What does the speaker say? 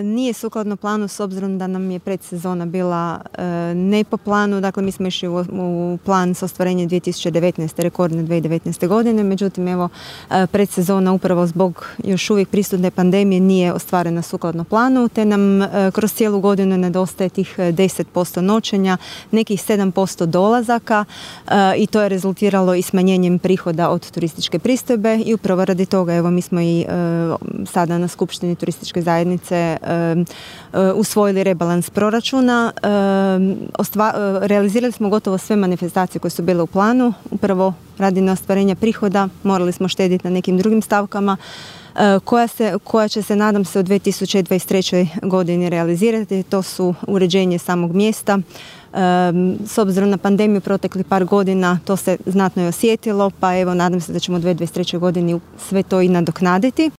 Nije sukladno planu s obzirom da nam je predsezona bila ne po planu, dakle mi smo išli u plan sa ostvarenjem 2019. rekordne 2019. godine, međutim evo predsezona upravo zbog još uvijek prisutne pandemije nije ostvarena sukladno planu, te nam kroz cijelu godinu nedostaje tih 10% noćenja, nekih 7% dolazaka i to je rezultiralo i smanjenjem prihoda od turističke pristojbe i upravo radi toga evo mi smo i sada na Skupštini turističke zajednice usvojili rebalans proračuna. Realizirali smo gotovo sve manifestacije koje su bile u planu. Upravo radi na ostvarenja prihoda morali smo štediti na nekim drugim stavkama koja će se, nadam se, u 2023. godini realizirati. To su uređenje samog mjesta. S obzirom na pandemiju proteklih par godina to se znatno je osjetilo, pa evo nadam se da ćemo u 2023. godini sve to i nadoknaditi.